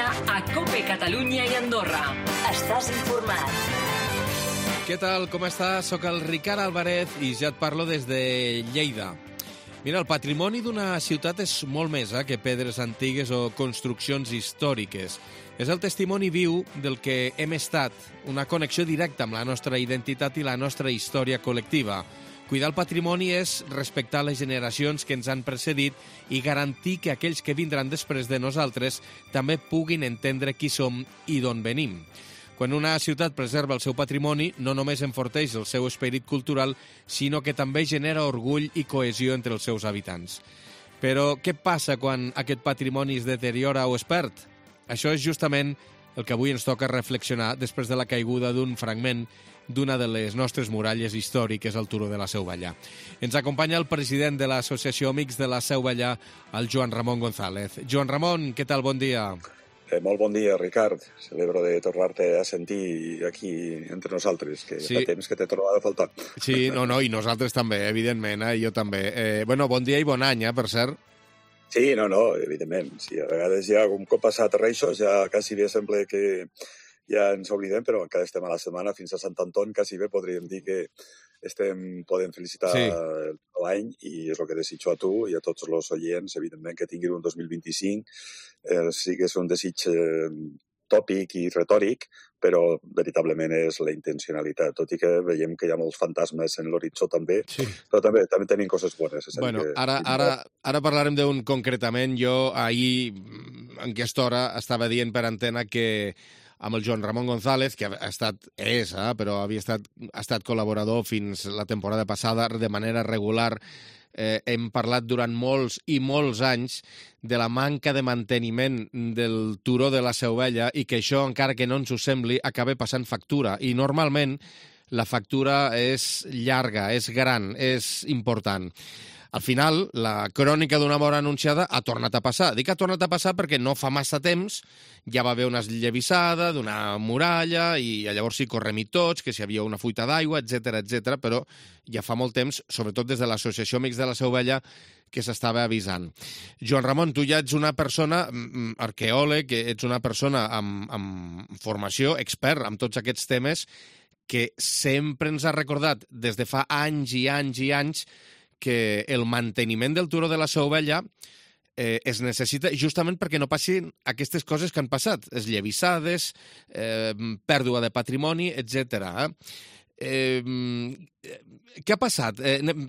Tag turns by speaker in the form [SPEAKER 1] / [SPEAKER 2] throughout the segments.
[SPEAKER 1] hora a COPE Catalunya i Andorra. Estàs informat.
[SPEAKER 2] Què tal, com estàs? Soc el Ricard Alvarez i ja et parlo des de Lleida. Mira, el patrimoni d'una ciutat és molt més que pedres antigues o construccions històriques. És el testimoni viu del que hem estat, una connexió directa amb la nostra identitat i la nostra història col·lectiva. Cuidar el patrimoni és respectar les generacions que ens han precedit i garantir que aquells que vindran després de nosaltres també puguin entendre qui som i d'on venim. Quan una ciutat preserva el seu patrimoni, no només enforteix el seu esperit cultural, sinó que també genera orgull i cohesió entre els seus habitants. Però què passa quan aquest patrimoni es deteriora o es perd? Això és justament el que avui ens toca reflexionar després de la caiguda d'un fragment d'una de les nostres muralles històriques al turó de la Seu Vellà. Ens acompanya el president de l'Associació Amics de la Seu Vellà, el Joan Ramon González. Joan Ramon, què tal? Bon dia.
[SPEAKER 3] Molt bon dia, Ricard. Celebro de tornar-te a sentir aquí entre nosaltres, que sí. Fa temps que t'he trobat a faltar.
[SPEAKER 2] Sí, no, i nosaltres també, evidentment, jo també. Bon dia i bon any, per cert.
[SPEAKER 3] Sí, no, evidentment. Sí, a vegades ja, un cop passat reixos, ja quasi bé sembla que ja ens oblidem, però encara estem a la setmana, fins a Sant Anton, quasi bé podríem dir que podem felicitar l'any, i és el que desitjo a tu i a tots els oients, evidentment, que tinguin un 2025. Sí que és un desig tòpic i retòric, però veritablement és la intencionalitat, tot i que veiem que hi ha molts fantasmes en l'horitzó també, però també tenim coses bones.
[SPEAKER 2] Bueno, ara parlarem d'un concretament. Jo ahir, en aquesta hora, estava dient per antena que amb el Joan Ramon González, que ha estat col·laborador fins la temporada passada de manera regular. Hem parlat durant molts i molts anys de la manca de manteniment del turó de la Seu Vella i que això, encara que no ens ho sembli, acaba passant factura. I normalment la factura és llarga, és gran, és important. Al final, la crònica d'una mort anunciada ha tornat a passar. Dic ha tornat a passar perquè no fa massa temps ja va haver una esllavissada d'una muralla i llavors sí correm-hi tots, que si hi havia una fuita d'aigua, etc, però ja fa molt temps, sobretot des de l'Associació Amics de la Seu Vella, que s'estava avisant. Joan Ramon, tu ja ets una persona arqueòleg, ets una persona amb formació, expert en tots aquests temes, que sempre ens ha recordat des de fa anys i anys i anys que el manteniment del turó de la Seu Vella es necessita justament perquè no passin aquestes coses que han passat, esllavissades, pèrdua de patrimoni, etc. Què ha passat?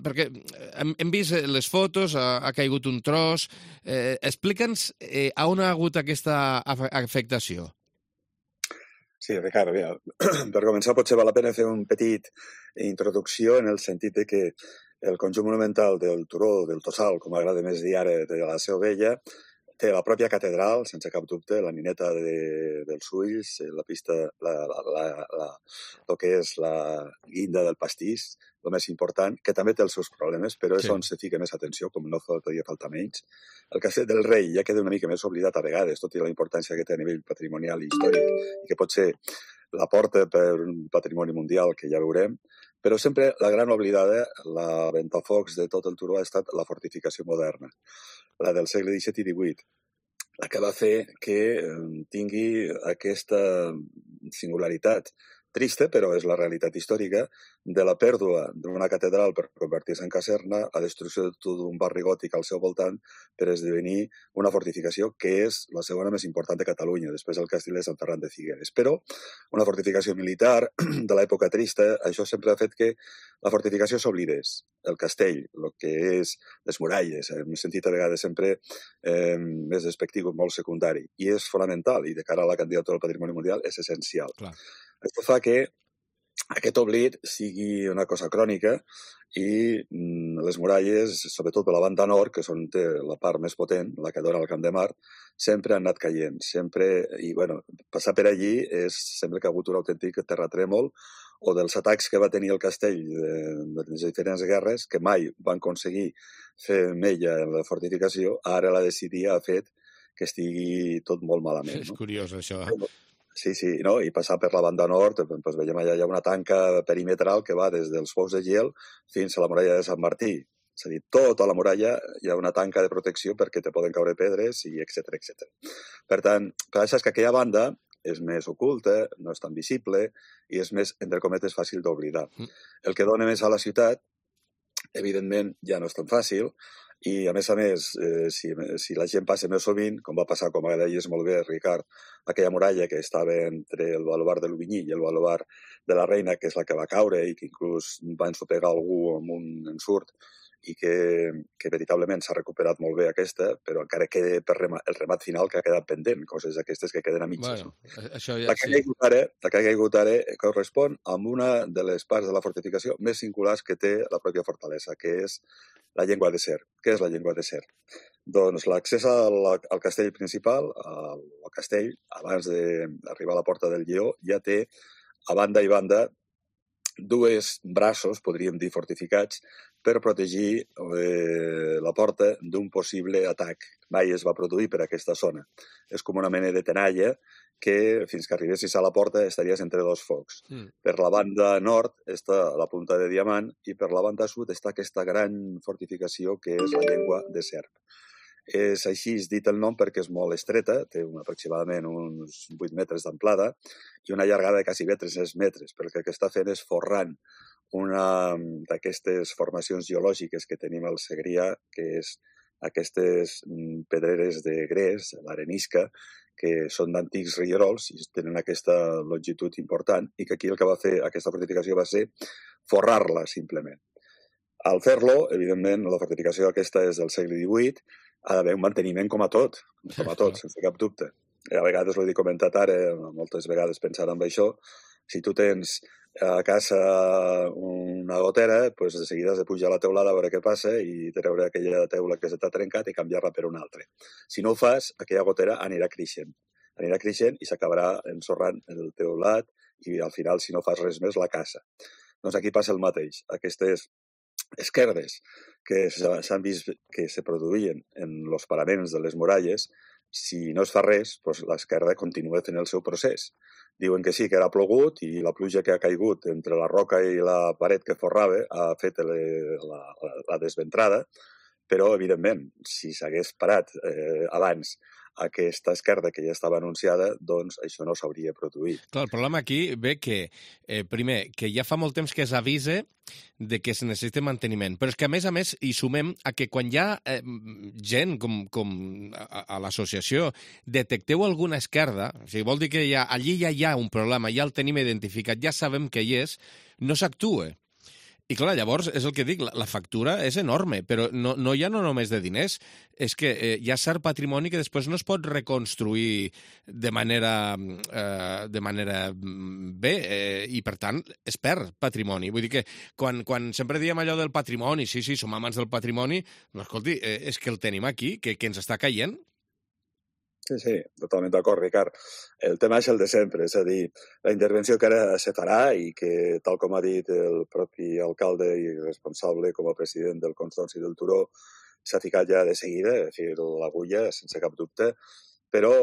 [SPEAKER 2] Perquè hem vist les fotos, ha caigut un tros. Explica'ns on ha hagut aquesta afectació.
[SPEAKER 3] Sí, Ricard, per començar potser val la pena fer una petita introducció en el sentit de que el conjunt monumental del turó, del Tossal, com agrada més dir ara, de la Seu Vella, té la pròpia catedral, sense cap dubte, la nineta dels ulls, la pista, el que és la guinda del pastís, el més important, que també té els seus problemes, però és on se fica més atenció, com no podria faltar menys. El Castell del Rei ja queda una mica més oblidat a vegades, tot i la importància que té a nivell patrimonial i històric, i que pot ser la porta per un patrimoni mundial, que ja veurem, però sempre la gran oblidada, la ventafocs de tot el turó, ha estat la fortificació moderna, la del segle XVII i XVIII, la que va fer que tingui aquesta singularitat trista, però és la realitat històrica, de la pèrdua d'una catedral per convertir-se en caserna, la destrucció de tot un barri gòtic al seu voltant per esdevenir una fortificació que és la segona més important de Catalunya, després del castell de Sant Ferran de Figueres. Però una fortificació militar de l'època trista, això sempre ha fet que la fortificació s'oblidés. El castell, el que és les muralles, hem sentit a vegades sempre més despectiu, molt secundari, i és fonamental, i de cara a la candidatura al Patrimoni Mundial és essencial.
[SPEAKER 2] Clar.
[SPEAKER 3] Això fa que aquest oblit sigui una cosa crònica i les muralles, sobretot per la banda nord, que són la part més potent, la que dona al Camp de Mart, sempre han anat caient. I, passar per allí sembla que ha hagut un autèntic terratrèmol o dels atacs que va tenir el castell de les diferents guerres, que mai van aconseguir fer mella en la fortificació, ara la decidia ha fet que estigui tot molt malament.
[SPEAKER 2] És curiós, això.
[SPEAKER 3] Sí, i passar per la banda nord, doncs veiem allà hi ha una tanca perimetral que va des dels Pous de Gel fins a la muralla de Sant Martí. És a dir, tota la muralla hi ha una tanca de protecció perquè te poden caure pedres, i etc etc. Per tant, per això és que aquella banda és més oculta, no és tan visible i és més, entre cometes, fàcil d'oblidar. El que dona més a la ciutat, evidentment, ja no és tan fàcil, i a més, si la gent passa més sovint, com va passar, com deies molt bé, Ricard, aquella muralla que estava entre el baluard de l'Ubinyí i el baluard de la Reina, que és la que va caure i que inclús va ensopegar algú amb un ensurt, i que veritablement s'ha recuperat molt bé aquesta, però encara queda per el remat final que ha quedat pendent, coses aquestes que queden a mitges.
[SPEAKER 2] Bueno, això ja,
[SPEAKER 3] la que ha caigut ara correspon a una de les parts de la fortificació més singulars que té la pròpia fortalesa, que és la llengua de Ser. Què és la llengua de Ser? Doncs l'accés al castell principal, al castell, abans d'arribar a la Porta del Lleó, ja té a banda i banda dues braços, podríem dir fortificats, per protegir la porta d'un possible atac. Mai es va produir per aquesta zona. És com una mena de tenalla que, fins que arribessis a la porta, estaries entre dos focs. Per la banda nord està la punta de Diamant i per la banda sud està aquesta gran fortificació que és la llengua de Serp. És així dit el nom perquè és molt estreta, té aproximadament uns 8 metres d'amplada i una llargada de quasi 300 metres, perquè el que està fent és forrant una d'aquestes formacions geològiques que tenim al Segrià, que és aquestes pedreres de gres, l'arenisca, que són d'antics rierols i tenen aquesta longitud important, i que aquí el que va fer aquesta fortificació va ser forrar-la, simplement. Al fer-lo, evidentment, la fortificació aquesta és del segle XVIII, ha d'haver un manteniment com a tot, sense cap dubte. A vegades, ho he comentat ara, moltes vegades pensant en això, si tu tens a casa una gotera, doncs de seguida has de pujar a la teulada a veure què passa i treure aquella teula que s'ha trencat i canviar-la per una altra. Si no ho fas, aquella gotera anirà creixent i s'acabarà ensorrant el teulat i al final, si no fas res més, la casa. Doncs aquí passa el mateix. Aquestes esquerdes que s'han vist que se produïen en els paraments de les muralles, si no es fa res, doncs l'esquerda continua fent el seu procés. Diuen que sí, que era plogut i la pluja que ha caigut entre la roca i la paret que forrava ha fet la desventrada, però, evidentment, si s'hagués parat abans aquesta esquerda que ja estava anunciada, doncs això no s'hauria produït.
[SPEAKER 2] Clar, el problema aquí ve que, primer, que ja fa molt temps que s'avisa de que es necessita manteniment, però és que, a més, hi sumem a que quan hi ha gent com a l'associació detecteu alguna esquerda, o sigui, vol dir que allí ja hi ha un problema, ja el tenim identificat, ja sabem que hi és, no s'actua. I clar, llavors, és el que dic, la factura és enorme, però no hi ha no només de diners, és que hi ha cert patrimoni que després no es pot reconstruir de manera bé i, per tant, es perd patrimoni. Vull dir que quan sempre diem allò del patrimoni, sí, som amants del patrimoni, però, escolti, és que el tenim aquí, que ens està caient.
[SPEAKER 3] Sí, totalment d'acord, Ricard. El tema és el de sempre, és a dir, la intervenció que ara se farà i que, tal com ha dit el propi alcalde i responsable com a president del Consorci del Turó, s'ha ficat ja de seguida, és a dir, l'agulla, sense cap dubte, però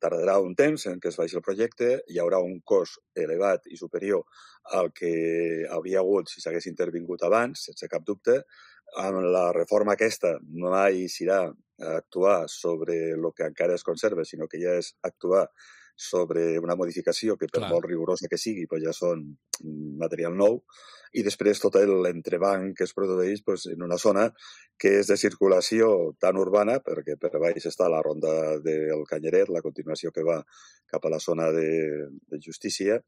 [SPEAKER 3] tardarà un temps en què es faci el projecte, hi haurà un cost elevat i superior al que hauria hagut si s'hagués intervingut abans, sense cap dubte. Amb la reforma aquesta mai serà actuar sobre el que encara es conserva, sinó que ja és actuar sobre una modificació que, per molt rigorosa que sigui, ja són material nou, i després tot l'entrebanc que es produeix en una zona que és de circulació tan urbana, perquè per baix està la ronda del Canyeret, la continuació que va cap a la zona de justícia,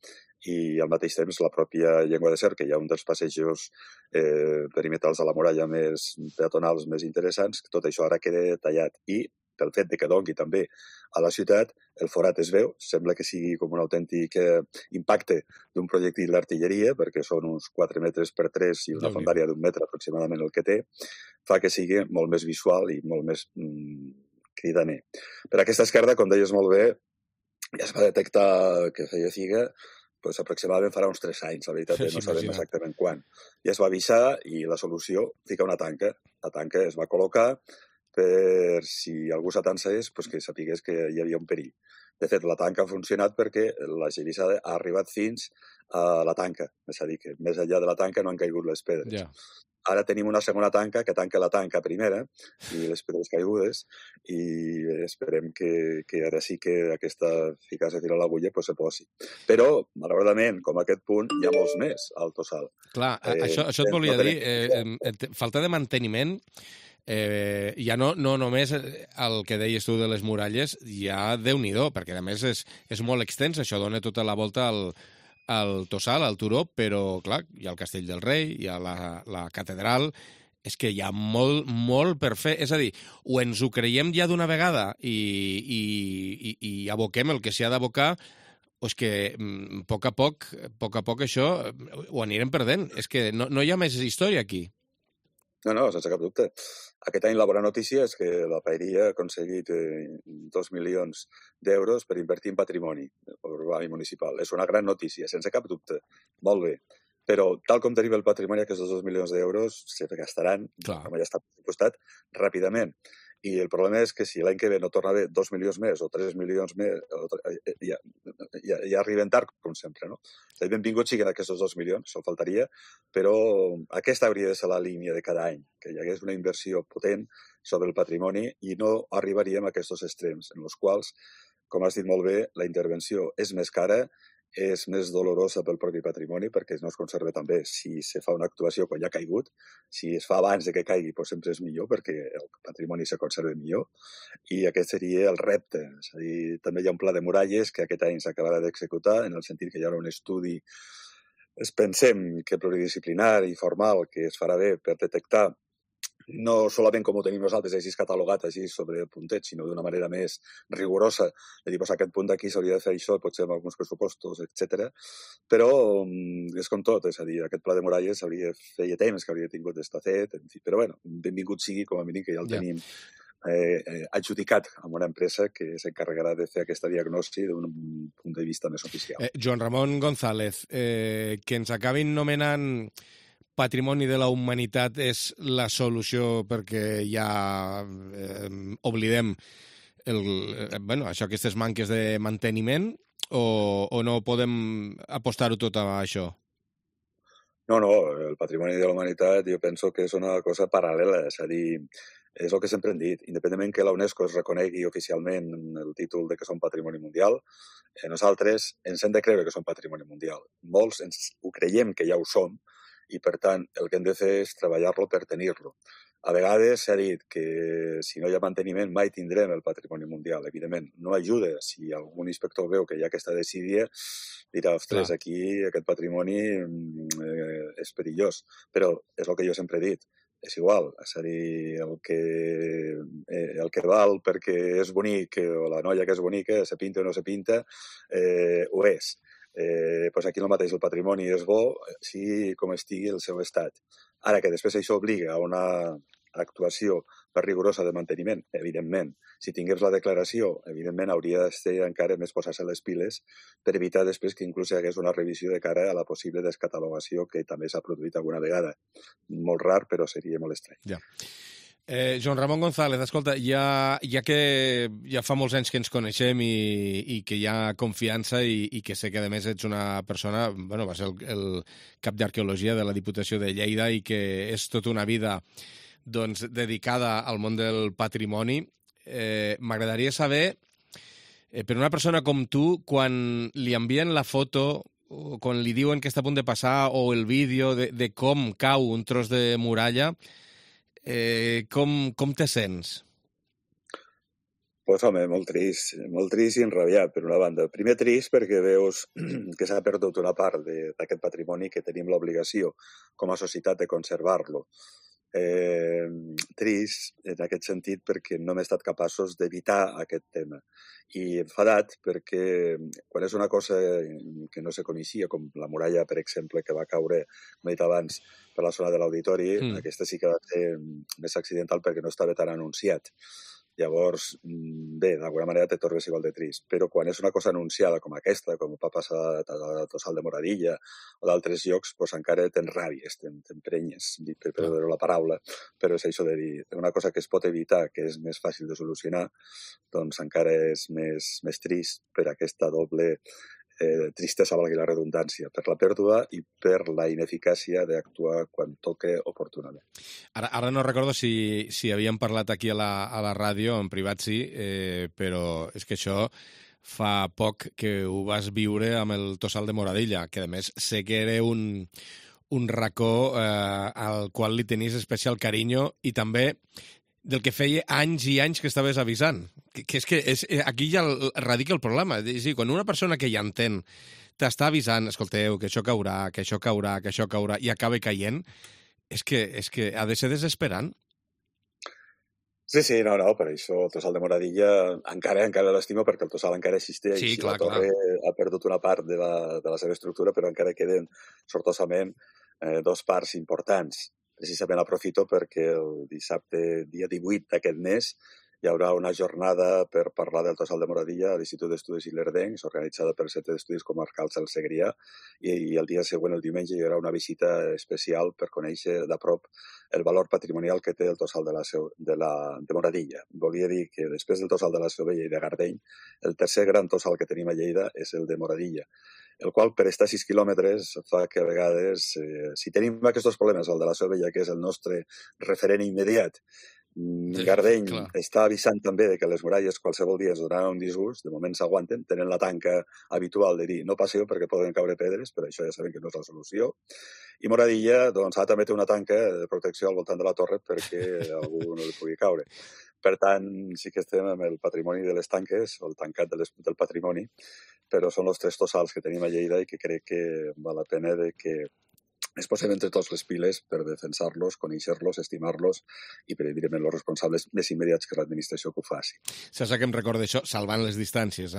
[SPEAKER 3] i al mateix temps la pròpia llengua de Ser, que hi ha un dels passejos perimetrals de la muralla més peatonals, més interessants, tot això ara queda tallat. I pel fet que doni també a la ciutat, el forat es veu, sembla que sigui com un autèntic impacte d'un projectil d'artilleria, perquè són uns 4 metres per 3 i una fondària d'1 metre aproximadament el que té, fa que sigui molt més visual i molt més cridaner. Per aquesta esquerda, com deies molt bé, ja es va detectar que feia figa, aproximadament farà uns 3 anys, la veritat, no sabem exactament quan. Ja es va avisar i la solució fica una tanca. La tanca es va col·locar per si algú s'atansés, que sapigués que hi havia un perill. De fet, la tanca ha funcionat perquè la gelissada ha arribat fins a la tanca. És a dir, que més enllà de la tanca no han caigut les pedres.
[SPEAKER 2] Ja.
[SPEAKER 3] Ara tenim una segona tanca que tanca la tanca primera i les pedres caigudes i esperem que ara sí que aquesta eficàcia de tirar l'agulla se posi. Però, malauradament, com a aquest punt, hi ha molts més al Tossal.
[SPEAKER 2] Clar, això et volia dir. Falta de manteniment, ja no només el que deies tu de les muralles, ja Déu-n'hi-do, perquè a més és molt extens, això dona tota la volta al Tossal, al turó, però, clar, hi ha el Castell del Rei, hi ha la catedral, és que hi ha molt per fer. És a dir, o ens ho creiem ja d'una vegada i aboquem el que s'hi ha d'abocar, o és que a poc a poc això ho anirem perdent. És que no hi ha més història aquí.
[SPEAKER 3] No, sense cap dubte. Aquest any la bona notícia és que la Paeria ha aconseguit 2 milions d'euros per invertir en patrimoni urbà i municipal. És una gran notícia, sense cap dubte. Molt bé. Però, tal com tenim el patrimoni, aquests 2 milions d'euros se gastaran, com ja està pressupostat, ràpidament. I el problema és que si l'any que ve no torna a haver 2 milions més o 3 milions més, ja arriben tard, com sempre, no? Benvinguts siguin aquests 2 milions, se'l faltaria, però aquesta hauria de ser la línia de cada any, que hi hagués una inversió potent sobre el patrimoni i no arribaríem a aquests extrems, en els quals, com has dit molt bé, la intervenció és més cara, és més dolorosa pel propi patrimoni perquè no es conserva tan bé. Si se fa una actuació quan ja ha caigut, si es fa abans de que caigui, sempre és millor perquè el patrimoni se conserva millor i aquest seria el repte. És a dir, també hi ha un pla de muralles que aquest any s'acabarà d'executar en el sentit que hi haurà un estudi, pensem que pluridisciplinari i formal, que es farà bé per detectar no solament com ho tenim nosaltres així catalogat així sobre el puntet, sinó d'una manera més rigorosa, de dir, aquest punt d'aquí s'hauria de fer això, potser amb alguns pressupostos, etc. Però és com tot, és a dir, aquest pla de muralles feia temps que hauria tingut d'estar fet, en fi, però bueno, benvingut sigui com a mínim que ja el tenim adjudicat amb una empresa que s'encarregarà de fer aquesta diagnosi d'un punt de vista més oficial.
[SPEAKER 2] Joan Ramon González, que ens acabin nomenant Patrimoni de la Humanitat és la solució perquè ja oblidem això, aquestes manques de manteniment o no podem apostar-ho tot a això?
[SPEAKER 3] No, el Patrimoni de la Humanitat jo penso que és una cosa paral·lela, és a dir, és el que sempre hem dit, independentment que la UNESCO es reconegui oficialment el títol de que som patrimoni mundial, nosaltres ens hem de creure que som patrimoni mundial. Molts ho creiem que ja ho som, i, per tant, el que hem de fer és treballar-lo per tenir-lo. A vegades s'ha dit que si no hi ha manteniment mai tindrem el patrimoni mundial. Evidentment, no ajuda. Si algun inspector veu que hi ha aquesta desídia, dirà, ostres, aquí aquest patrimoni és perillós. Però és el que jo sempre he dit. És igual, és a dir, el que val perquè és bonic, o la noia que és bonica, se pinta o no se pinta, ho és. Aquí el mateix, el patrimoni és bo, sigui com estigui el seu estat. Ara que després això obliga a una actuació per rigorosa de manteniment, evidentment. Si tingués la declaració, evidentment hauria d'estar encara més posar-se les piles per evitar després que inclús hi hagués una revisió de cara a la possible descatalogació que també s'ha produït alguna vegada. Molt rar, però seria molt estrany.
[SPEAKER 2] Ja. Joan Ramon González, escolta, ja que ja fa molts anys que ens coneixem i que hi ha confiança i que sé que a més ets una persona, va ser el cap d'Arqueologia de la Diputació de Lleida i que és tota una vida dedicada al món del patrimoni, m'agradaria saber, per una persona com tu, quan li envien la foto, quan li diuen que està a punt de passar, o el vídeo de com cau un tros de muralla, com te sents?
[SPEAKER 3] Pues home, molt trist i enrabiat, per una banda. Primer trist perquè veus que s'ha perdut una part d'aquest patrimoni que tenim l'obligació com a societat de conservar-lo. Trist en aquest sentit perquè no hem estat capaços d'evitar aquest tema. I enfadat perquè quan és una cosa que no se coneixia, com la muralla, per exemple, que va caure, com he dit abans, per la zona de l'auditori, aquesta sí que va ser més accidental perquè no estava tan anunciat. Llavors, bé, d'alguna manera te tornes igual de trist. Però quan és una cosa anunciada com aquesta, com va passar a Tossal de Moradilla o d'altres llocs, doncs encara tens ràbies, t'emprenyes, perdó la paraula, però és això de dir, una cosa que es pot evitar, que és més fàcil de solucionar, doncs encara és més trist per aquesta doble tristesa, valgui la redundància, per la pèrdua i per la ineficàcia d'actuar quan toque oportunament.
[SPEAKER 2] Ara no recordo si havíem parlat aquí a la ràdio, en privat sí, però és que això fa poc que ho vas viure amb el Tossal de Moradilla, que a més sé que era un racó al qual li tenies especial carinyo i també del que feia anys i anys que estaves avisant. Que aquí ja radica el problema. És a dir, quan una persona que ja entén t'està avisant, escolteu, que això caurà, que això caurà, que això caurà, i acaba caient, és que ha de ser desesperant.
[SPEAKER 3] Sí, no, per això el Tossal de Moradilla encara l'estimo perquè el Tossal encara existeix.
[SPEAKER 2] Sí, clar,
[SPEAKER 3] la torre ha perdut una part de la seva estructura, però encara queden sortosament dos parts importants. Precisament aprofito perquè el dissabte, dia 18 d'aquest mes, hi haurà una jornada per parlar del Tossal de Moradilla a l'Institut d'Estudis Ilerdencs, organitzada pel Centre d'Estudis Comarcals del Segrià, i el dia següent, el diumenge, hi haurà una visita especial per conèixer de prop el valor patrimonial que té el Tossal de Moradilla. Volia dir que després del Tossal de la Seu Vella i de Gardeny, el tercer gran tossal que tenim a Lleida és el de Moradilla, el qual, per estar a 6 quilòmetres, fa que a vegades, si tenim aquests problemes, el de la Seu Vella, que és el nostre referent immediat, Gardeny està avisant també de que les muralles qualsevol dia ens donaran un disgust, de moment s'aguanten, tenen la tanca habitual de dir no passeu perquè poden caure pedres, però això ja sabem que no és la solució. I Moradilla doncs, també té una tanca de protecció al voltant de la torre perquè algú no li pugui caure. Per tant, sí que estem amb el patrimoni de les tanques, o el tancat del patrimoni, però són els 3 tossals que tenim a Lleida i que crec que val la pena de que es posem entre tots les piles per defensar-los, conèixer-los, estimar-los i per, evidentment, els responsables més immediats que l'administració que ho faci.
[SPEAKER 2] Saps que em recorda això? Salvant les distàncies,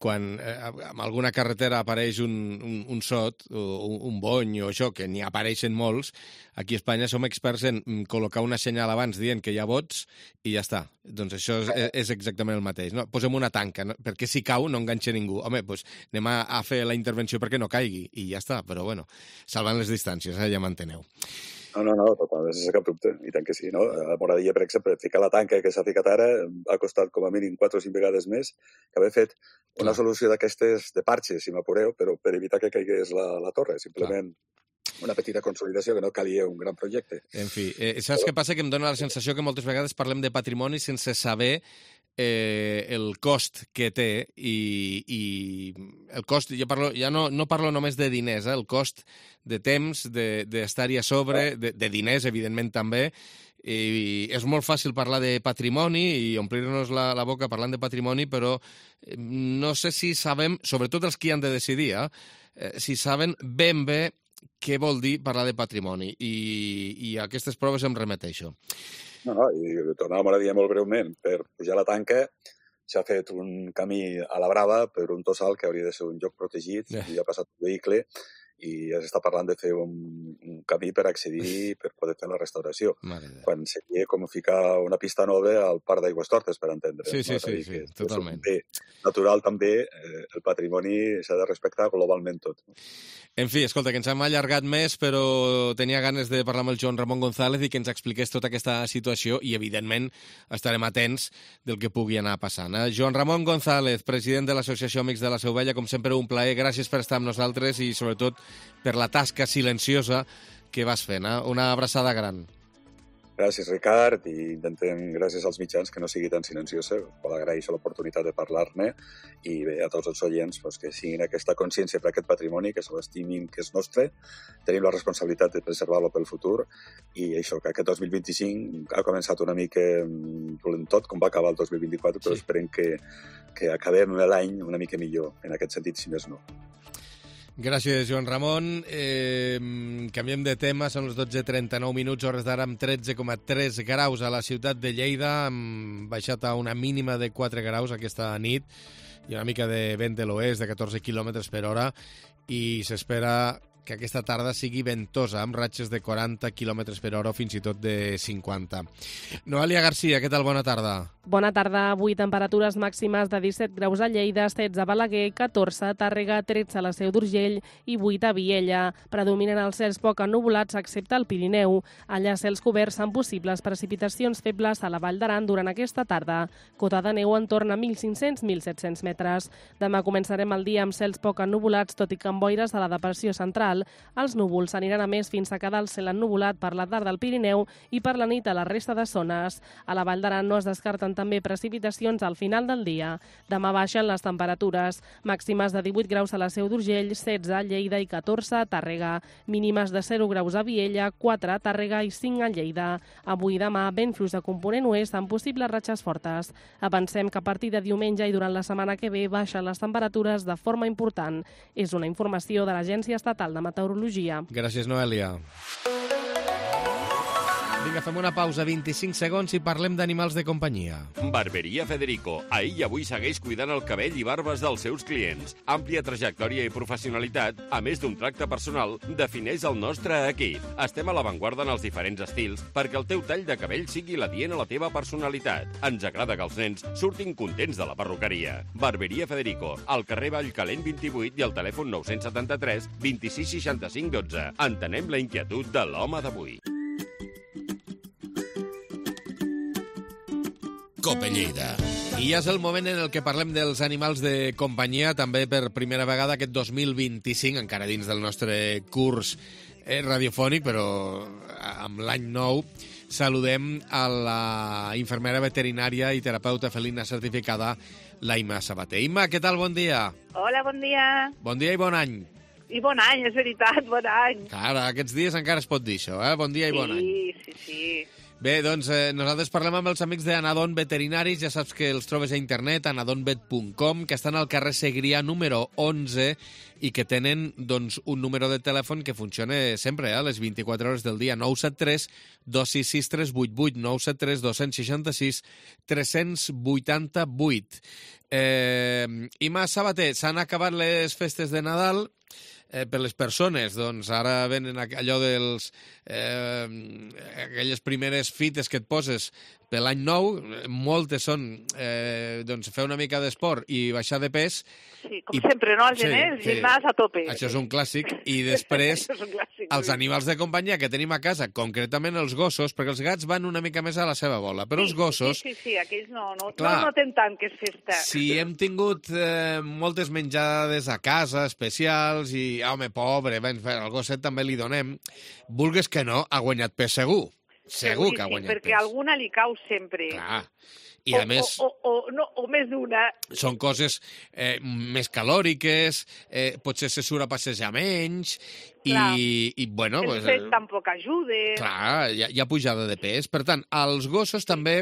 [SPEAKER 2] quan en alguna carretera apareix un sot, un bony o això, que n'hi apareixen molts, aquí a Espanya som experts en col·locar una senyal abans dient que hi ha bots i ja està. Doncs això és exactament el mateix. No? Posem una tanca, no? Perquè si cau no enganxa ningú. Home, doncs anem a fer la intervenció perquè no caigui i ja està, però bueno, salvant les distàncies, ja m'enteneu.
[SPEAKER 3] No, totalment, sense cap dubte, i tant que sí, no? A Moradilla, per exemple, ficar la tanca que s'ha ficat ara ha costat com a mínim 4 o 5 vegades més que haver fet una solució d'aquestes de parxes, si m'apureu, però per evitar que caigués la torre, simplement una petita consolidació que no calia un gran projecte.
[SPEAKER 2] En fi, saps què passa? Que em dóna la sensació que moltes vegades parlem de patrimoni sense saber el cost que té i el cost, ja no parlo només de diners, el cost de temps, d'estar-hi a sobre, de diners, evidentment, també, i és molt fàcil parlar de patrimoni i omplir-nos la boca parlant de patrimoni, però no sé si sabem, sobretot els que hi han de decidir, si saben ben bé què vol dir parlar de patrimoni, i a aquestes proves em remeteixo.
[SPEAKER 3] No, i tornàvem a dir molt breument, per pujar la tanca s'ha fet un camí a la brava per un tossal que hauria de ser un lloc protegit, i ha passat un vehicle, i s'està parlant de fer un camí per accedir per poder fer la restauració. Quan seria com ficar una pista nova al Parc d'Aigüestortes, per entendre.
[SPEAKER 2] Sí, totalment.
[SPEAKER 3] Bé, natural també, el patrimoni s'ha de respectar globalment tot.
[SPEAKER 2] En fi, escolta, que ens hem allargat més, però tenia ganes de parlar amb el Joan Ramon González i que ens expliqués tota aquesta situació i, evidentment, estarem atents del que pugui anar passant. Joan Ramon González, president de l'Associació Amics de la Seu Vella, com sempre, un plaer. Gràcies per estar amb nosaltres i, sobretot, per la tasca silenciosa que vas fent. Una abraçada gran.
[SPEAKER 3] Gràcies, Ricard, i intentem, gràcies als mitjans, que no sigui tan silenciosa. Agraeixo l'oportunitat de parlar-ne i bé, a tots els oients que siguin aquesta consciència per aquest patrimoni, que se l'estimin, que és nostre. Tenim la responsabilitat de preservar-lo pel futur i això, que aquest 2025 ha començat una mica dolent tot, com va acabar el 2024, però esperem que acabem l'any una mica millor, en aquest sentit, si més no.
[SPEAKER 2] Gràcies, Joan Ramon. Canviem de tema, són les 12:39 minuts, hores d'ara amb 13,3 graus a la ciutat de Lleida, hem baixat a una mínima de 4 graus aquesta nit i una mica de vent de l'oest de 14 km per hora i s'espera que aquesta tarda sigui ventosa, amb ratxes de 40 km per hora o fins i tot de 50. Noelia Garcia, què tal? Bona tarda.
[SPEAKER 4] Bona tarda. Avui temperatures màximes de 17 graus a Lleida, 16 a Balaguer, 14 a Tàrrega, 13 a la Seu d'Urgell i 8 a Viella. Predominen els cels poc ennuvolats excepte al Pirineu. Allà cels coberts amb possibles precipitacions febles a la Vall d'Aran durant aquesta tarda. Cota de neu entorn a 1.500-1.700 metres. Demà començarem el dia amb cels poc ennuvolats, tot i que amb boires a la depressió central. Els núvols aniran a més fins a quedar el cel ennuvolat per la tarda al Pirineu i per la nit a la resta de zones. A la Vall d'Aran no es descarten també precipitacions al final del dia. Demà baixen les temperatures, màximes de 18 graus a la Seu d'Urgell, 16 a Lleida i 14 a Tàrrega, mínimes de 0 graus a Viella, 4 a Tàrrega i 5 a Lleida. Avui i demà, vent fluix de component oest amb possibles ratxes fortes. Avancem que a partir de diumenge i durant la setmana que ve baixen les temperatures de forma important. És una informació de l'Agència Estatal de Meteorologia.
[SPEAKER 2] Gràcies, Noelia. Vinga, fem una pausa, 25 segons, i parlem d'animals de companyia.
[SPEAKER 5] Barberia Federico. Ahir i avui segueix cuidant el cabell i barbes dels seus clients. Àmplia trajectòria i professionalitat, a més d'un tracte personal, defineix el nostre equip. Estem a l'avantguarda en els diferents estils perquè el teu tall de cabell sigui l'adient a la teva personalitat. Ens agrada que els nens surtin contents de la perruqueria. Barberia Federico, al carrer Vallcalent 28 i al telèfon 973 26 65 12. Entenem la inquietud de l'home d'avui.
[SPEAKER 2] Cope Lleida. I ja és el moment en el que parlem dels animals de companyia, també per primera vegada aquest 2025, encara dins del nostre curs radiofònic, però amb l'any nou. Saludem a la infermera veterinària i terapeuta felina certificada, la Imma Sabater. Imma, què tal? Bon dia.
[SPEAKER 6] Hola, bon dia.
[SPEAKER 2] Bon dia i bon any.
[SPEAKER 6] I bon any, és veritat, bon any.
[SPEAKER 2] Clar, aquests dies encara es pot dir això, eh? Bon dia i bon any.
[SPEAKER 6] Sí.
[SPEAKER 2] Bé, doncs nosaltres parlem amb els amics d'Anadon Veterinaris, ja saps que els trobes a internet, anadonvet.com, que estan al carrer Segrià número 11 i que tenen doncs, un número de telèfon que funciona sempre, a les 24 hores del dia, 973 266 388, 973 266 388. Imma Sabater, s'han acabat les festes de Nadal. Per les persones, doncs ara venen allò dels aquelles primeres fites que et poses per l'any nou, moltes són doncs fer una mica d'esport i baixar de pes.
[SPEAKER 6] Sí, com sempre, no? El gener, el gimnàs a tope.
[SPEAKER 2] Això és un clàssic. I després, els animals de companyia que tenim a casa, concretament els gossos, perquè els gats van una mica més a la seva bola, però els gossos...
[SPEAKER 6] Sí, aquells no noten tant que és festa.
[SPEAKER 2] Si hem tingut moltes menjades a casa, especials, i, home, pobre, el gosset també li donem, vulgues que no, ha guanyat pes segur. Segur que ha guanyat pes.
[SPEAKER 6] Perquè alguna li cau sempre.
[SPEAKER 2] Clar. I a més...
[SPEAKER 6] O més d'una.
[SPEAKER 2] Són coses més calòriques, potser se surt a passejar menys, i bueno...
[SPEAKER 6] El fet tampoc ajuda.
[SPEAKER 2] Clar, hi ha pujada de pes. Per tant, als gossos també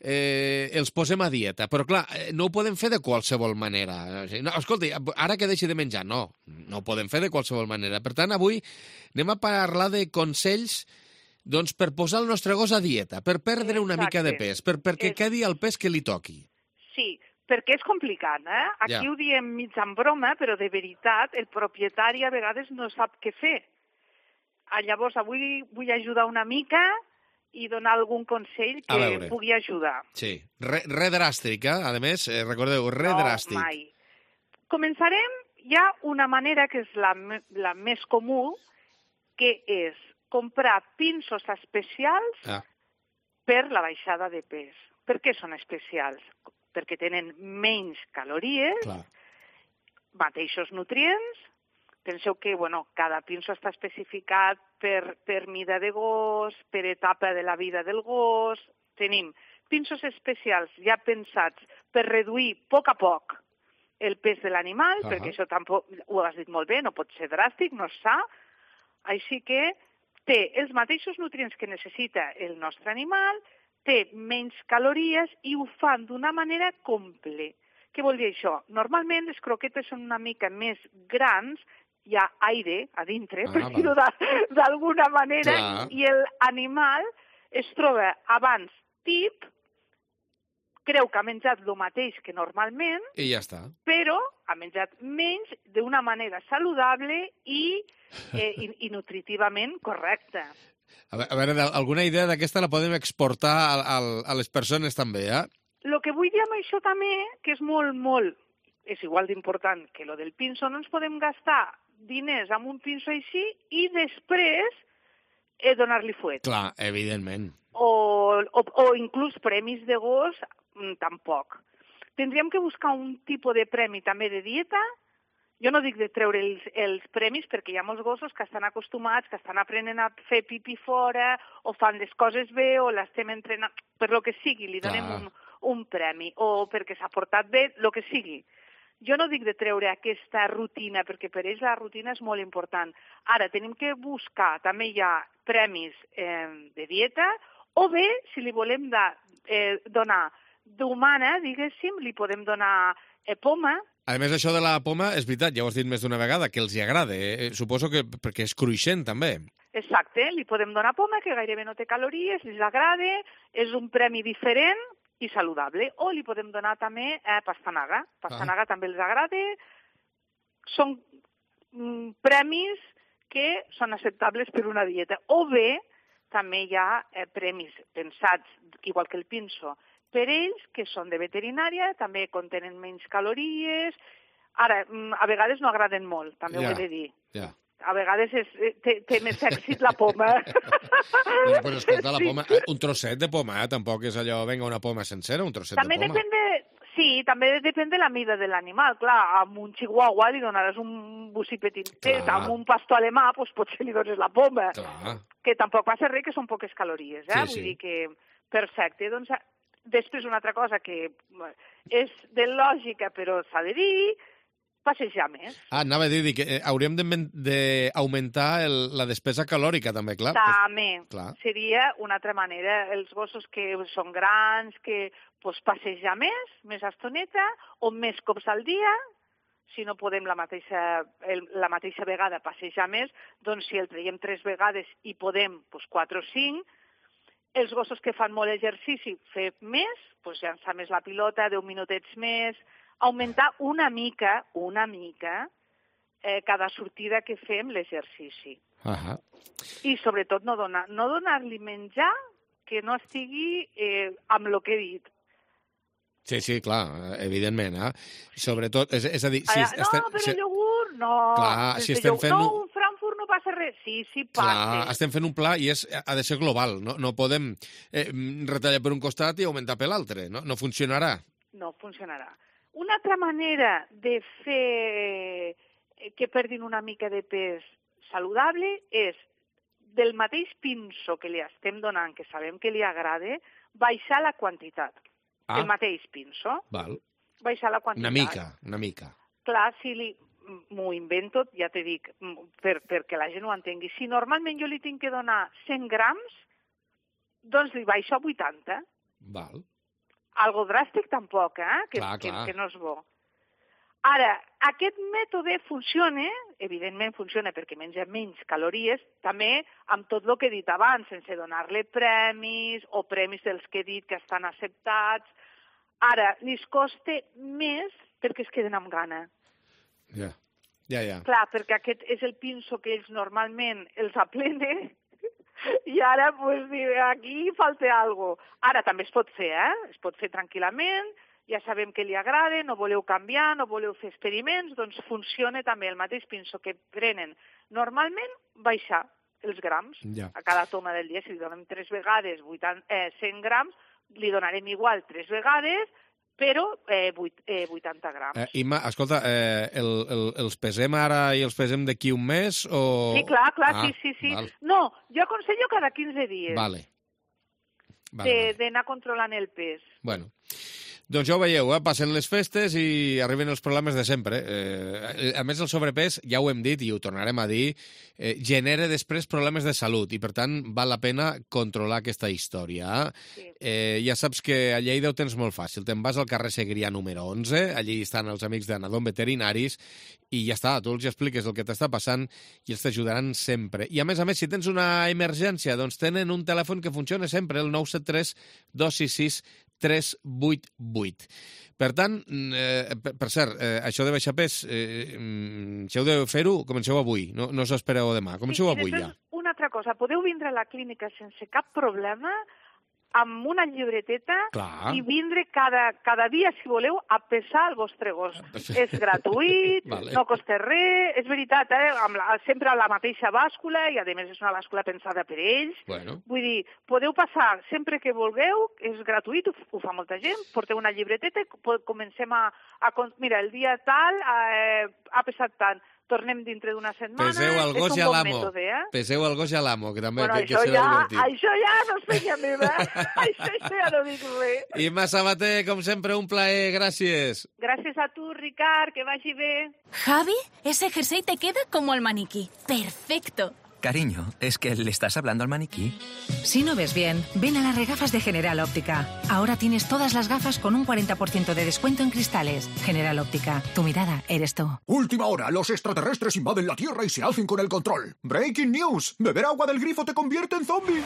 [SPEAKER 2] els posem a dieta, però clar, no ho podem fer de qualsevol manera. No, escolta, ara que deixi de menjar, no ho podem fer de qualsevol manera. Per tant, avui anem a parlar de consells doncs per posar el nostre gos a dieta, per perdre una mica de pes, perquè quedi el pes que li toqui.
[SPEAKER 6] Sí, perquè és complicat, eh? Aquí ho diem mig en broma, però de veritat el propietari a vegades no sap què fer. Llavors, avui vull ajudar una mica i donar algun consell que pugui ajudar.
[SPEAKER 2] Sí, re dràstic, a més, recordeu, re dràstic.
[SPEAKER 6] No, mai. Començarem, hi ha una manera que és la més comú, que és comprar pinços especials per la baixada de pes. Per què són especials? Perquè tenen menys calories, mateixos nutrients. Penseu que cada pinço està especificat per mida de gos, per etapa de la vida del gos. Tenim pinços especials ja pensats per reduir a poc el pes de l'animal, perquè això tampoc, ho has dit molt bé, no pot ser dràstic, no és sa. Així que té els mateixos nutrients que necessita el nostre animal, té menys calories i ho fan d'una manera completa. Què vol dir això? Normalment les croquetes són una mica més grans, hi ha aire a dintre, per dir-ho d'alguna manera, i l'animal es troba abans tip, creu que ha menjat el mateix que normalment,
[SPEAKER 2] i ja està.
[SPEAKER 6] Però ha menjat menys d'una manera saludable i nutritivament correcta.
[SPEAKER 2] A veure, alguna idea d'aquesta la podem exportar a les persones també, eh?
[SPEAKER 6] El que vull dir amb això també, que és molt, és igual d'important que lo del pinso, no ens podem gastar diners amb un pinso així i després donar-li fuet.
[SPEAKER 2] Clar, evidentment.
[SPEAKER 6] O inclús premis de gos, tampoc. Tindríem que buscar un tipus de premi també de dieta. Jo no dic de treure els premis perquè hi ha molts gossos que estan acostumats, que estan aprenent a fer pipí fora o fan les coses bé o l'estem entrenant, per lo que sigui, li donem un premi o perquè s'ha portat bé, el que sigui. Jo no dic de treure aquesta rutina perquè per ells la rutina és molt important. Ara, tenim que buscar, també hi ha premis de dieta o bé, si li volem donar d'humana, diguéssim, li podem donar poma.
[SPEAKER 2] A més, això de la poma, és veritat, ja ho has dit més d'una vegada, que els hi agrada. Suposo que perquè és cruixent, també.
[SPEAKER 6] Exacte, li podem donar poma, que gairebé no té calories, els agrada, és un premi diferent i saludable. O li podem donar també pastanaga. Pastanaga també els agrada. Són premis que són acceptables per una dieta. O bé, també hi ha premis pensats, igual que el pinso, per ells, que són de veterinària, també contenen menys calories. Ara, a vegades no agraden molt, també ho he de dir. A vegades té més èxit la poma.
[SPEAKER 2] Bueno, pues escolta, la poma, un trosset de poma, tampoc és allò, venga, una poma sencera, un trosset
[SPEAKER 6] també
[SPEAKER 2] de poma.
[SPEAKER 6] També depèn de la mida de l'animal. Clar, amb un chihuahua li donaràs un bocí petitet, amb un pastor alemà, doncs potser li dones la poma.
[SPEAKER 2] Clar.
[SPEAKER 6] Que tampoc passa res, que són poques calories,
[SPEAKER 2] Sí,
[SPEAKER 6] Vull dir que, perfecte, doncs... Després, una altra cosa que és de lògica, però s'ha de dir, passejar més.
[SPEAKER 2] Anava a dir que hauríem d'augmentar la despesa calòrica, també, clar.
[SPEAKER 6] També.
[SPEAKER 2] Clar.
[SPEAKER 6] Seria una altra manera. Els gossos que són grans, que passejar més estoneta, o més cops al dia, si no podem la mateixa vegada passejar més, doncs si el traiem 3 vegades i podem 4 o 5, els gossos que fan molt exercici, fer més, llançar més la pilota, 10 minutets més, augmentar una mica, cada sortida que fem l'exercici. I sobretot no donar-li menjar que no estigui amb el que he dit.
[SPEAKER 2] Sí, clar, evidentment. Sobretot, és a dir...
[SPEAKER 6] però iogurt, no.
[SPEAKER 2] Clar, si estem fent...
[SPEAKER 6] No, un Frankfurt no passa res. Sí, passa.
[SPEAKER 2] Clar, estem fent un pla i ha de ser global. No podem retallar per un costat i augmentar per l'altre. No funcionarà.
[SPEAKER 6] No funcionarà. Una altra manera de fer que perdin una mica de pes saludable és del mateix pinso que li estem donant, que sabem que li agrada, baixar la quantitat. El mateix pinso.
[SPEAKER 2] Val.
[SPEAKER 6] Baixar la quantitat.
[SPEAKER 2] Una mica.
[SPEAKER 6] Clar, si m'ho invento, ja te dic, perquè la gent ho entengui. Si normalment jo li tinc que donar 100 grams, doncs li baixo a 80.
[SPEAKER 2] Val.
[SPEAKER 6] Algo dràstic tampoc, que no és bo. Ara, aquest mètode funciona, evidentment funciona perquè menja menys calories, també amb tot el que he dit abans, sense donar-li premis o premis dels que he dit que estan acceptats. Ara, li costa més perquè es queden amb gana.
[SPEAKER 2] Ja.
[SPEAKER 6] Clar, perquè aquest és el pinso que ells normalment els aplenen i ara, aquí falta alguna cosa. Ara també es pot fer, es pot fer tranquil·lament, ja sabem que li agrada, no voleu canviar, no voleu fer experiments, doncs funciona també el mateix pinso que prenen normalment, baixar els grams. A cada toma del dia, si li donem 3 vegades 100 grams, li donarem igual 3 vegades, però 80 grams.
[SPEAKER 2] Imma, escolta, els pesem ara i els pesem d'aquí un mes? O...
[SPEAKER 6] Sí, clar, sí. Val. No, jo aconsello cada 15 dies.
[SPEAKER 2] Vale.
[SPEAKER 6] D'anar controlant el pes.
[SPEAKER 2] Bueno, doncs ja ho veieu, passen les festes i arriben els problemes de sempre. A més, el sobrepès, ja ho hem dit i ho tornarem a dir, genera després problemes de salut i, per tant, val la pena controlar aquesta història. Sí. Ja saps que a Lleida ho tens molt fàcil. Te'n vas al carrer Segrià número 11, allí estan els amics d'Anadom Veterinaris i ja està, tu els expliques el que t'està passant i els t'ajudaran sempre. I, a més, si tens una emergència, doncs tenen un telèfon que funciona sempre, el 973 266 388. Per tant, per cert, això de baixar pes, si heu de fer-ho, comenceu avui, no us espereu demà, comenceu avui ja.
[SPEAKER 6] Una altra cosa, podeu vindre a la clínica sense cap problema, amb una llibreteta i vindre cada dia, si voleu, a pesar el vostre gos. És gratuït, no costa res, és veritat, sempre a la mateixa bàscula, i a més és una bàscula pensada per ells. Vull dir, podeu passar sempre que vulgueu, és gratuït, ho fa molta gent, porteu una llibreteta i comencem a... Mira, el dia tal ha pesat tant. Tornem dintre d'una setmana,
[SPEAKER 2] peseu el gos
[SPEAKER 6] és un bon mètode,
[SPEAKER 2] Peseu el gos i a l'amo, que també que
[SPEAKER 6] serà divertit. Això ja no és feina meva, això ja no dic res.
[SPEAKER 2] Imma Sabater, com sempre, un plaer, gràcies.
[SPEAKER 6] Gràcies a tu, Ricard, que vagi bé.
[SPEAKER 7] Javi, ese jersey te queda como el maniquí. Perfecto.
[SPEAKER 8] Cariño, ¿es que le estás hablando al maniquí?
[SPEAKER 9] Si no ves bien, ven a las regafas de General Óptica. Ahora tienes todas las gafas con un 40% de descuento en cristales. General Óptica, tu mirada eres tú.
[SPEAKER 10] Última hora, los extraterrestres invaden la Tierra y se hacen con el control. Breaking news, beber agua del grifo te convierte en zombie.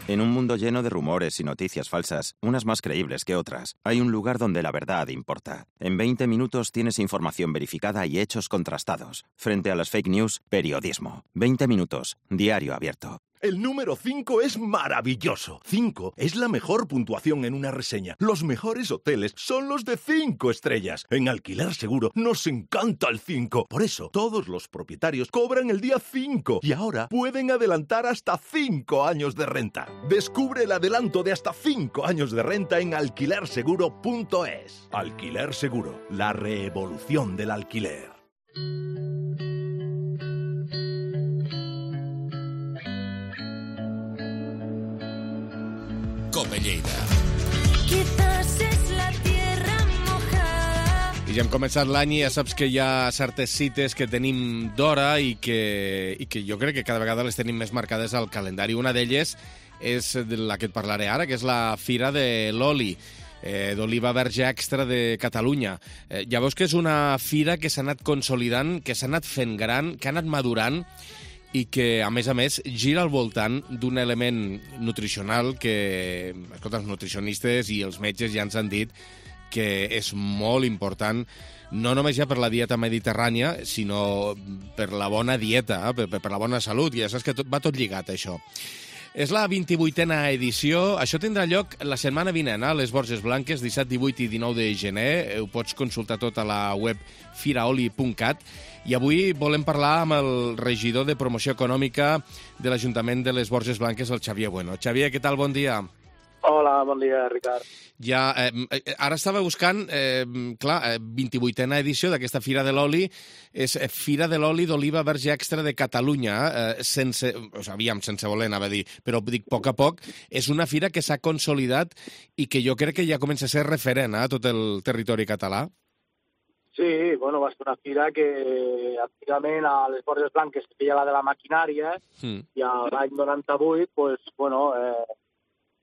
[SPEAKER 11] En un mundo lleno de rumores y noticias falsas, unas más creíbles que otras, hay un lugar donde la verdad importa. En 20 minutos tienes información verificada y hechos contrastados. Frente a las fake news, periodismo. 20 minutos. Diario abierto.
[SPEAKER 12] El número 5 es maravilloso. 5 es la mejor puntuación en una reseña. Los mejores hoteles son los de 5 estrellas. En Alquiler Seguro nos encanta el 5. Por eso, todos los propietarios cobran el día 5 y ahora pueden adelantar hasta 5 años de renta. Descubre el adelanto de hasta 5 años de renta en alquilerseguro.es. Alquiler Seguro, la revolución del alquiler.
[SPEAKER 2] Cope Lleida. I ja hem començat l'any i ja saps que hi ha certes cites que tenim d'hora i que jo crec que cada vegada les tenim més marcades al calendari. Una d'elles és la que et parlaré ara, que és la Fira de l'Oli, d'oliva verge extra de Catalunya. Ja veus que és una fira que s'ha anat consolidant, que s'ha anat fent gran, que ha anat madurant, i que, a més, gira al voltant d'un element nutricional que, escolta, els nutricionistes i els metges ja ens han dit que és molt important, no només ja per la dieta mediterrània, sinó per la bona dieta, per la bona salut, i ja saps que va tot lligat, això. És la 28a edició. Això tindrà lloc la setmana vinent a les Borges Blanques, 17, 18 i 19 de gener. Ho pots consultar tot a la web firaoli.cat. I avui volem parlar amb el regidor de Promoció Econòmica de l'Ajuntament de les Borges Blanques, el Xavier Bueno. Xavier, què tal? Bon dia.
[SPEAKER 13] Hola, bon dia, Ricard.
[SPEAKER 2] Ja, ara estava buscant, 28a edició d'aquesta Fira de l'Oli, és Fira de l'Oli d'Oliva Verge Extra de Catalunya, sense voler, anava a dir, però dic a poc, és una fira que s'ha consolidat i que jo crec que ja comença a ser referent a tot el territori català.
[SPEAKER 13] Sí, bueno, va ser una fira que antigament a les Borges Blanques es feia la de la maquinària i l'any 98, pues, bueno,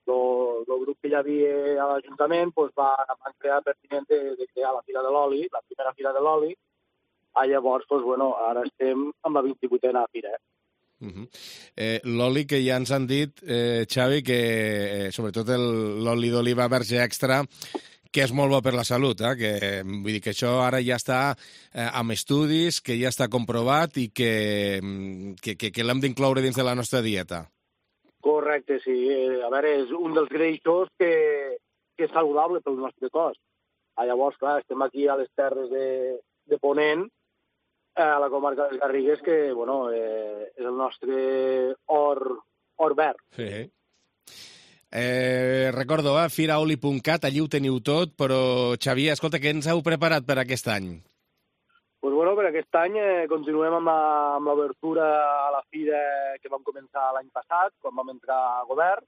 [SPEAKER 13] el grup que hi havia a l'Ajuntament van crear pertinent de crear la Fira de l'Oli, la primera Fira de l'Oli. Llavors, ara estem amb la 28a Fira.
[SPEAKER 2] L'oli que ja ens han dit, Xavi, que sobretot l'oli d'oliva verge extra, que és molt bo per la salut, que vull dir que això ara ja està amb estudis, que ja està comprovat i que l'hem d'incloure dins de la nostra dieta.
[SPEAKER 13] Correcte, sí. A veure, és un dels greixos que és saludable pel nostre cos. Llavors, clar, estem aquí a les terres de Ponent, a la comarca de les Garrigues, que, bueno, és el nostre or verd.
[SPEAKER 2] Sí. Recordo, firaoli.cat, allí ho teniu tot, però, Xavier, escolta, què ens heu preparat per aquest any?
[SPEAKER 13] Doncs, bueno, per aquest any continuem amb l'obertura a la fira que vam començar l'any passat, quan vam entrar a govern.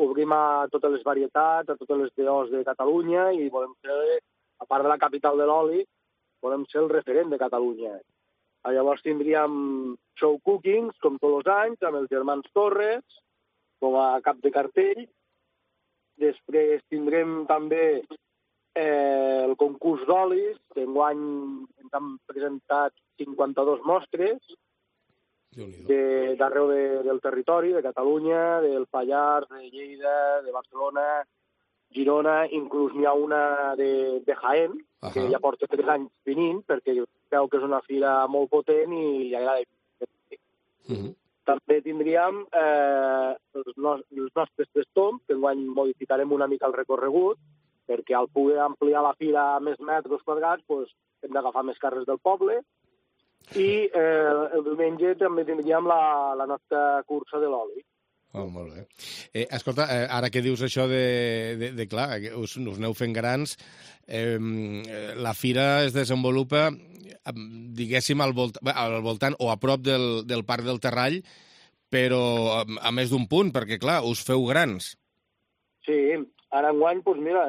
[SPEAKER 13] Obrim a totes les varietats, a totes les DOs de Catalunya i volem ser, a part de la capital de l'oli, volem ser el referent de Catalunya. Llavors tindríem show cookings, com tots els anys, amb els germans Torres, com a cap de cartell. Després tindrem també el concurs d'olis, que enguany ens han presentat 52 mostres d'arreu del territori, de Catalunya, del Pallars, de Lleida, de Barcelona, Girona inclús n'hi ha una de Jaén, que ja porta 3 anys venint, perquè veu que és una fira molt potent i li agrada. També tindríem els nostres Testons, que enguany modificarem una mica el recorregut, perquè al poder ampliar la fira a més metres quadrats hem d'agafar més carrers del poble. I el diumenge també tindríem la nostra cursa de l'oli.
[SPEAKER 2] Oh, molt bé. Escolta, ara que dius això de clar, us aneu fent grans, la fira es desenvolupa, diguéssim, al voltant o a prop del Parc del Terrall, però a més d'un punt, perquè, clar, us feu grans.
[SPEAKER 13] Sí, ara enguany, doncs mira,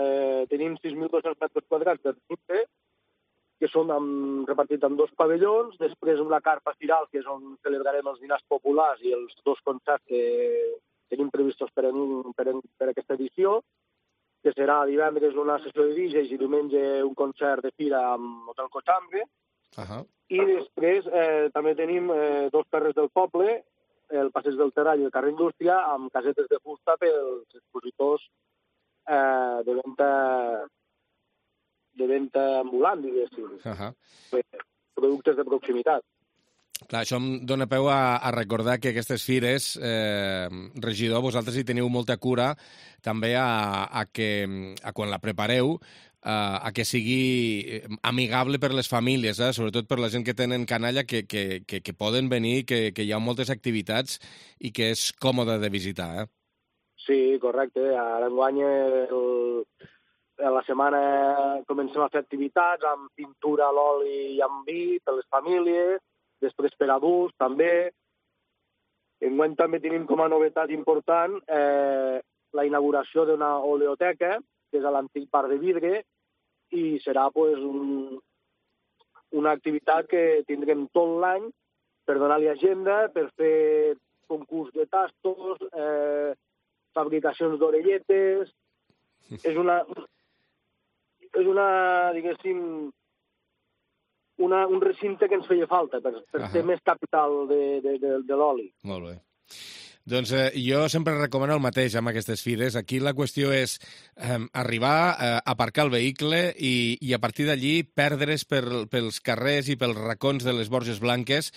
[SPEAKER 13] tenim 6.200 metres quadrats de recinte, que són repartits en 2 pavellons, després una carpa firal, que és on celebrarem els dinars populars i els 2 concerts que tenim previstos per aquesta edició, que serà divendres una sessió de DJs i diumenge un concert de fira amb Hotel Cochambre. I després també tenim 2 carrers del poble, el Passeig del Terrall i el carrer Indústria, amb casetes de fusta pels expositors de venda ambulant, diguéssim. Productes de proximitat.
[SPEAKER 2] Clar, això em dona peu a recordar que aquestes fires, regidor, vosaltres hi teniu molta cura també a quan la prepareu, a que sigui amigable per les famílies, sobretot per la gent que tenen canalla, que poden venir, que hi ha moltes activitats i que és còmode de visitar.
[SPEAKER 13] Sí, correcte. Ara enguany a la setmana comencem a fer activitats amb pintura a l'oli i amb vi per les famílies, després per adults també. Enguany també tenim com a novetat important la inauguració d'una oleoteca, que és a l'antic bar de vidre, i serà una activitat que tindrem tot l'any per donar-li agenda, per fer concurs de tastos, fabricacions d'orelletes. És una, diguéssim, un recinte que ens feia falta per ser més capital de l'oli.
[SPEAKER 2] Molt bé. Doncs jo sempre recomano el mateix amb aquestes fires. Aquí la qüestió és arribar, aparcar el vehicle i a partir d'allí perdre's pels carrers i pels racons de les Borges Blanques,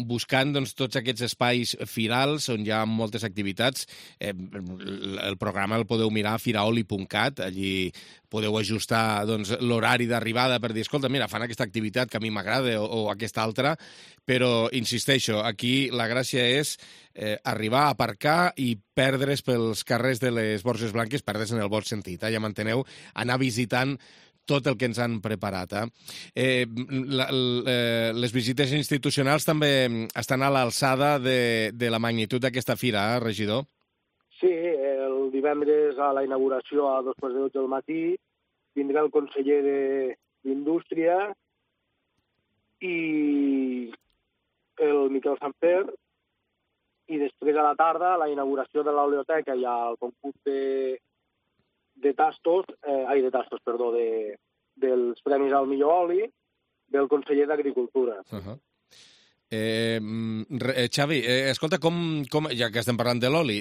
[SPEAKER 2] buscant tots aquests espais firals on hi ha moltes activitats. El programa el podeu mirar a firaoli.cat, allí podeu ajustar l'horari d'arribada per dir, escolta, mira, fan aquesta activitat que a mi m'agrada o aquesta altra, però, insisteixo, aquí la gràcia és arribar, aparcar i perdre's pels carrers de les Borges Blanques, perdre's en el bon sentit, ja m'enteneu, anar visitant tot el que ens han preparat. Les visites institucionals també estan a l'alçada de la magnitud d'aquesta fira, regidor?
[SPEAKER 13] Sí, el divendres a la inauguració a 2:12 del matí vindrà el conseller d'Indústria i el Miquel Sanfer, i després a la tarda a la inauguració de l'oleoteca i al concurs dels Premis al millor oli del conseller d'Agricultura.
[SPEAKER 2] Xavi, escolta, ja que estem parlant de l'oli,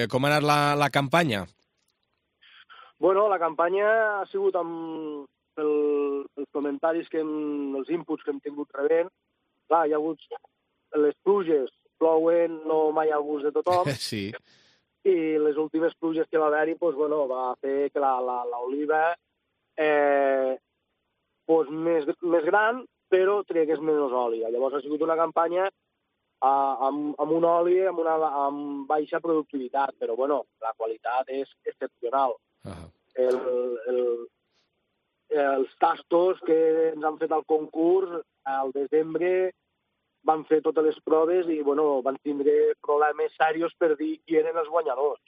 [SPEAKER 2] com ha anat la campanya?
[SPEAKER 13] Bueno, la campanya ha sigut amb els comentaris, els inputs que hem tingut rebent. Clar, hi ha hagut les pluges, plouen, no mai al gust de tothom.
[SPEAKER 2] Sí.
[SPEAKER 13] I les últimes pluges que va haver-hi va fer que l'oliva més gran, però tregués menys oli. Llavors ha sigut una campanya amb un oli amb baixa productivitat, però bueno, la qualitat és excepcional. Els tastos que ens han fet al concurs, al desembre van fer totes les proves i van tindre problemes serios per dir qui eren els guanyadors.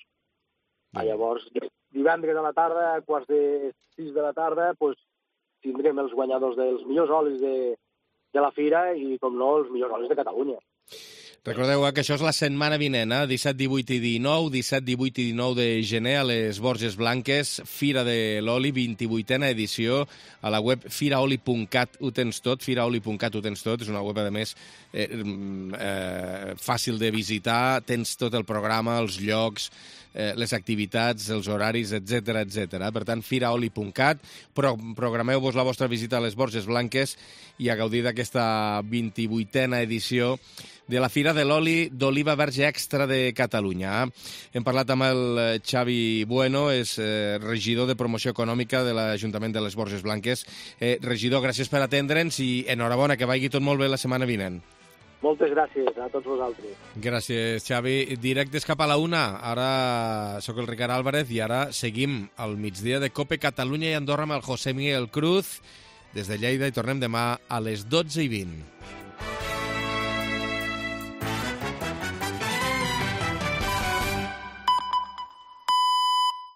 [SPEAKER 13] Llavors, divendres a la tarda, a 5:45 de la tarda, tindrem els guanyadors dels millors olis de la fira i, com no, els millors olis de Catalunya.
[SPEAKER 2] Recordeu que això és la setmana vinent, 17, 18 i 19, 17, 18 i 19 de gener a les Borges Blanques, Fira de l'Oli, 28a edició, a la web firaoli.cat ho tens tot, firaoli.cat ho tens tot, és una web, a més, fàcil de visitar, tens tot el programa, els llocs, les activitats, els horaris, etc etc. Per tant, firaoli.cat, programeu-vos la vostra visita a les Borges Blanques i a gaudir d'aquesta 28a edició de la Fira de l'Oli d'Oliva Verge Extra de Catalunya. Hem parlat amb el Xavi Bueno, és regidor de Promoció Econòmica de l'Ajuntament de les Borges Blanques. Regidor, gràcies per atendre'ns i enhorabona, que vagi tot molt bé la setmana vinent.
[SPEAKER 13] Moltes gràcies a tots vosaltres.
[SPEAKER 2] Gràcies, Xavi. Directes cap a la 1. Ara sóc el Ricard Álvarez i ara seguim al migdia de COPE Catalunya i Andorra amb el José Miguel Cruz des de Lleida i tornem demà a les 12:20.